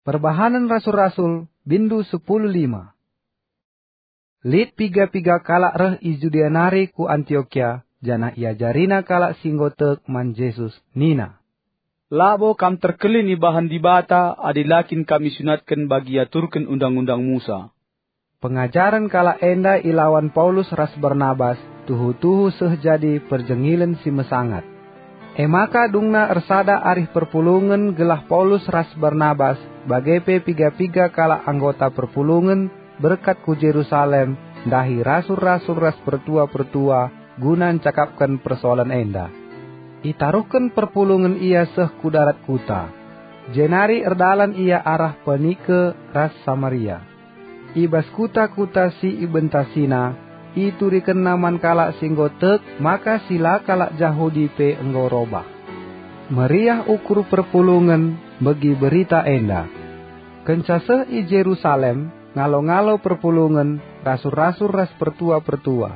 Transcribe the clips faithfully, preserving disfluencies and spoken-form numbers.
Perbahanen Rasul-Rasul, bindu sepuluh lima. Lit piga-piga kalak reh i Judea nari ku Antiokia, janah iajarina kalak si enggo tek man Jesus, nina, "Labo kam terkelin ibahan Dibata adi la kin kam isunatken bagi iaturken Undang-undang Musa." Pengajaren kalak enda ilawan Paulus ras Barnabas tuhu-tuhu seh jadi perjengilen si mesangat. E maka dungna ersada arih perpulungen gelah Paulus ras Barnabas, bage pe piga-piga kalak anggota perpulungen, berkat ku Jerusalem ndahi rasul-rasul ras pertua-pertua guna ncakapken persoalen enda. Itaruhken perpulungen ia seh ku darat kuta, jenari erdalan ia arah Poinike ras Samaria. I bas kuta-kuta si ibentasina, iturikenna man kalak si enggo tek maka si la kalak Jahudi pe enggo robah. Meriah ukur perpulungen megi berita enda. Kenca seh i Jerusalem, ngalo-ngalo perpulungen, rasul-rasul ras pertua-pertua.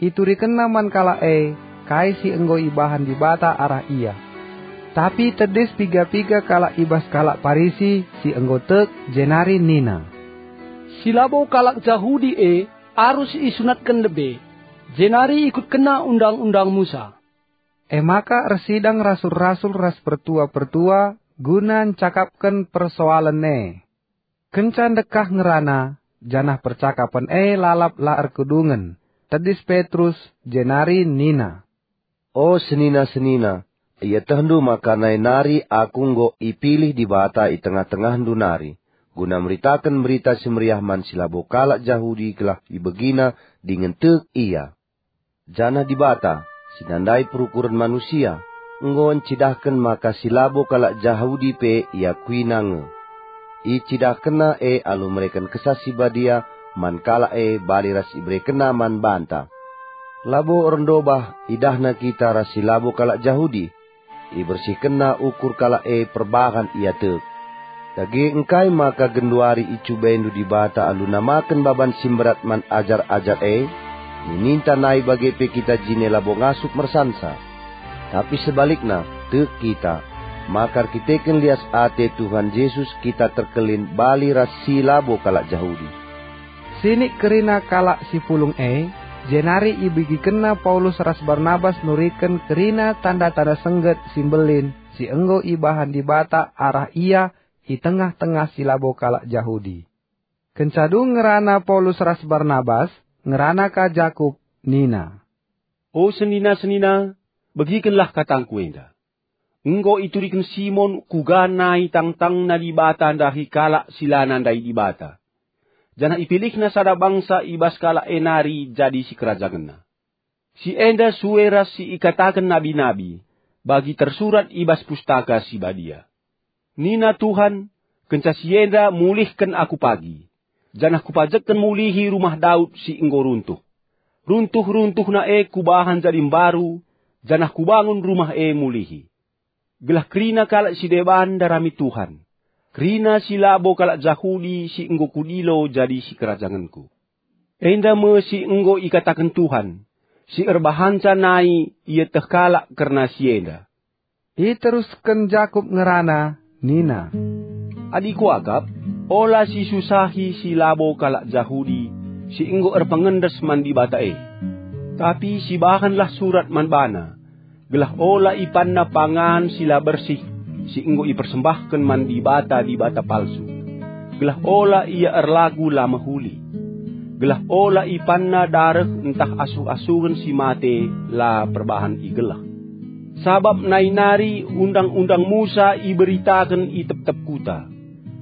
Iturikenna man kalak e kai si enggo ibahan Dibata arah ia. Tapi tedis piga-piga kalak i bas kalak Parisi si enggo tek, jenari nina, "Si labo kalak Jahudi e arus isunatken lebe, jenari ikutkenna Undang-undang Musa." E maka ersidang rasul-rasul ras pertua-pertua guna ncakapken persoalen e. Kenca ndekah ngerana, janah percakapen e lalap la erkedungen, tedis Petrus, jenari nina, "O senina-senina, ietehndu maka nai nari aku enggo ipilih Dibata i tengah-tengahndu nari, guna meritaken Berita Si Meriah man si labo kalak Jahudi gelah ibegina dingen tek ia. Janah Dibata, si nandai perukuren manusia, enggo ncidahken maka si labo kalak Jahudi pe iakuiNa nge. IcidahkenNa e alu mereken Kesah Si Badia man kalak e bali ras iberekenNa man banta. Labo erndobah idahNa kita ras si labo kalak Jahudi, ibersihkenNa ukur kalak e perbahan ia tek. Dage engkai maka genduari icubaindu Dibata alu namaken baban si mberat man ajar-ajar e? Nininta nai bage pe kita jine labo ngasup mersansa. Tapi sebalikna, tek kita, maka erkiteken lias ate Tuhan Jesus kita terkelin bali ras si labo kalak Jahudi." Sinik kerina kalak si pulung e, jenari ibegikenna Paulus ras Barnabas nuriken kerina tanda-tanda sengget si mbelin si enggo ibahan Dibata arah ia i tengah-tengah si labo kalak Jahudi. Kenca dung ngerana Paulus ras Barnabas, ngerana ka Jakup, nina, "O senina-senina, begikenlah katangku enda. Enggo ituriken Simon kuga nai tangtangna Dibata ndahi kalak si la nandai Dibata, janah ipilihna sada bangsa i bas kalak e nari jadi sikerajangenna. Si enda sue ras si ikataken nabi-nabi, bagi tersurat i bas Pustaka Si Badia. Nina Tuhan, 'Kenca si enda mulihken Aku pagi, janah Kupajekken mulihi rumah Daud si enggo runtuh. Runtuh-runtuhna e Kubahan jadi mbaru, janah Kubangun rumah e mulihi.' Gelah kerina kalak si deban ndarami Tuhan, kerina si labo kalak Jahudi si enggo Kudilo jadi sikerajangenKu. Enda me si enggo ikataken Tuhan, si erbahanca nai ieteh kalak kerna si enda." Iterusken Jakup ngerana, nina, "Adi kuakap, ola sisusahi si labo kalak Jahudi si enggo erpengendes man Dibata e. Tapi sibahanlah surat man bana, gelah ola ipanna pangan si la bersih si enggo ipersembahken man dibata-dibata palsu, gelah ola ia erlagu la mehuli, gelah ola ipanna dareh ntah asuh-asuhen si mate la perbahan igeleh. Sabap nai nari Undang-undang Musa iberitaken i tep-tep kuta,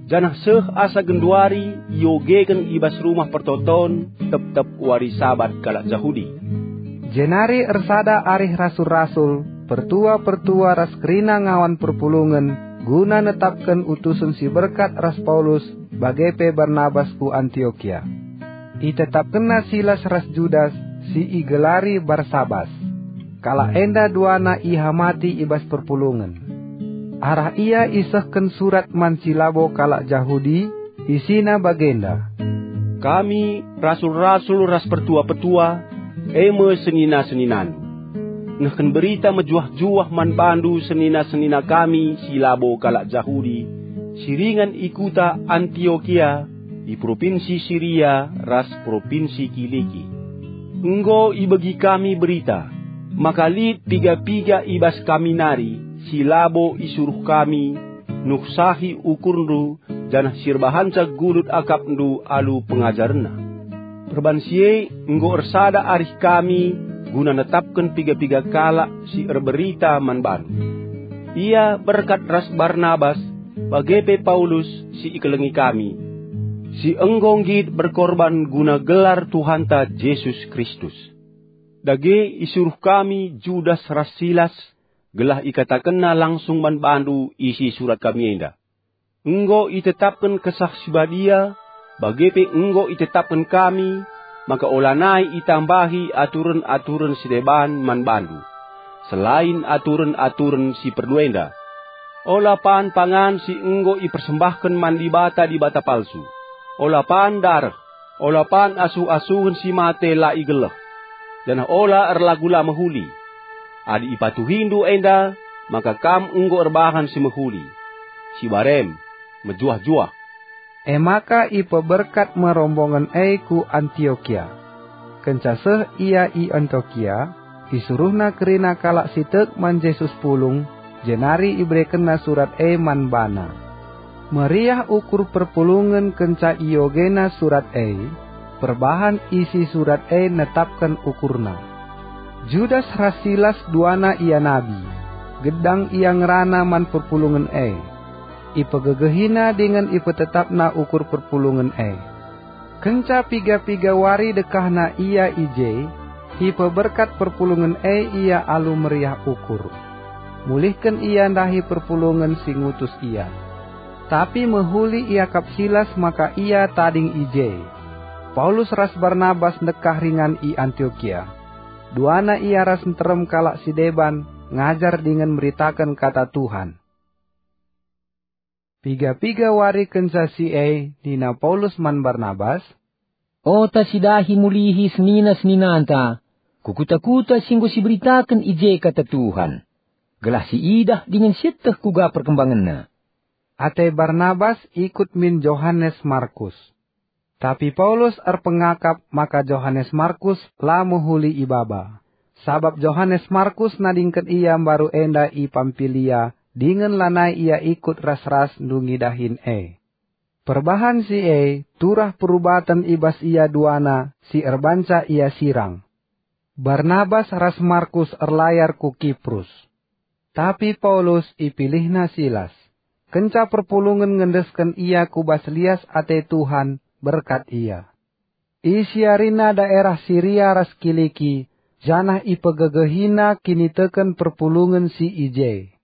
janah seh asa genduari iogeken i bas Rumah Pertoton tep-tep wari Sabat kalak Jahudi." Jenari ersada arih rasul-rasul, pertua-pertua ras kerina ngawan perpulungen guna netapken utusen si berkat ras Paulus bage pe Barnabas ku Antiokia. Itetapkenna Silas ras Judas si igelari Barsabas. Kalak enda duana ihamati i bas perpulungen. Arah ia isehken surat man si labo kalak Jahudi, isina bagenda, "Kami, rasul-rasul ras pertua-pertua, e me senina-seninandu, nehken berita mejuah-juah man bandu senina-senina kami si labo kalak Jahudi, si ringan i kuta Antiokia, i propinsi Siria ras propinsi Kiliki. Enggo ibegi kami berita, maka lit piga-piga i bas kami nari si labo isuruh kami nuhsahi ukurndu, janah si erbahanca gulut akapndu alu pengajarenna. Perban si e enggo ersada arih kami guna netapken piga-piga kalak si erberita man bandu. Ia berkat ras Barnabas, bage pe Paulus si ikelengi kami, si enggo nggit berkorban guna gelar Tuhanta Jesus Kristus. Dage isuruh kami Judas ras Silas, gelah ikatakenna langsung man bandu isi surat kami enda. Enggo itetapken Kesah Si Badia, bage pe enggo itetapken kami, maka olanai itambahi aturen-aturen si deban man bandu, selain aturen-aturen si perlu enda. Ola pan pangan si enggo ipersembahken man dibata-dibata palsu. Ola pan dareh, ola pan asuh-asuhen si mate la igeleh, janah ola erlagu la mehuli. Adi ipatuhindu enda, maka kam enggo erbahan si mehuli, si barem, mejuah-juah. E maka ipeberkat me rombongen e ku Antiokia. Kenca seh ia i Antiokia, isuruhna kerina kalak si tek man Jesus pulung, jenari iberekenna surat e man bana. Meriah ukur perpulungen kenca iogena surat e, perbahan isi surat e netapken ukurna. Judas ras Silas duana ianabi, gedang ia ngerana man perpulungen e. Ipegegehina dingen ipetetapna ukur perpulungen e. Kenca piga-piga wari dekahna ia i je, ipeberkat perpulungen e ia alu meriah ukur. Mulihken ia ndahi perpulungen si ngutus ia. Tapi mehuli iakap Silas maka ia tading i je. Paulus ras Barnabas ndekah ringan i Antiokia. Duana ia ras nterem kalak si deban ngajar dingen meritaken kata Tuhan. Piga-piga wari kenca si e nina Paulus man Barnabas, "Ota si dahi mulihi senina-seninanta ku kuta-kuta si enggo siberitaken i je kata Tuhan, gelah siidah dingen sieteh kuga perkembangenna." Ate Barnabas ikut min Johanes Markus. Tapi Paulus erpengakap maka Johanes Markus la mehuli ibaba, sabap Johanes Markus nadingken ia mbaru enda i Pampilia dingen lanai ia ikut ras-ras ndungi dahin e. Perbahan si e turah perubaten i bas ia duana si erbanca ia sirang. Barnabas ras Markus erlayar ku Kiprus. Tapi Paulus ipilihna Silas. Kenca perpulungen ngendesken ia ku bas lias ate Tuhan, berkat ia. Isiarina daerah Siria ras Kiliki, janah ipegegehina kiniteken perpulungen si i je.